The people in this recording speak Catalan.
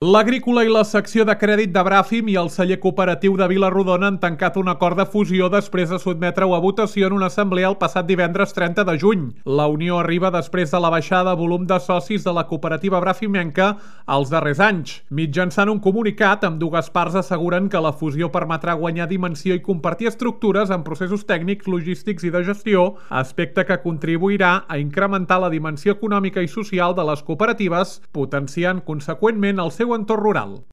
L'Agrícola i la secció de crèdit de Bràfim i el celler cooperatiu de Vila-rodona han tancat un acord de fusió després de sotmetre-ho a votació en una assemblea el passat divendres 30 de juny. La unió arriba després de la baixada de volum de socis de la cooperativa brafimenca als darrers anys. Mitjançant un comunicat, ambdues parts asseguren que la fusió permetrà guanyar dimensió i compartir estructures en processos tècnics, logístics i de gestió, aspecte que contribuirà a incrementar la dimensió econòmica i social de les cooperatives, potenciant conseqüentment el seu entorn rural.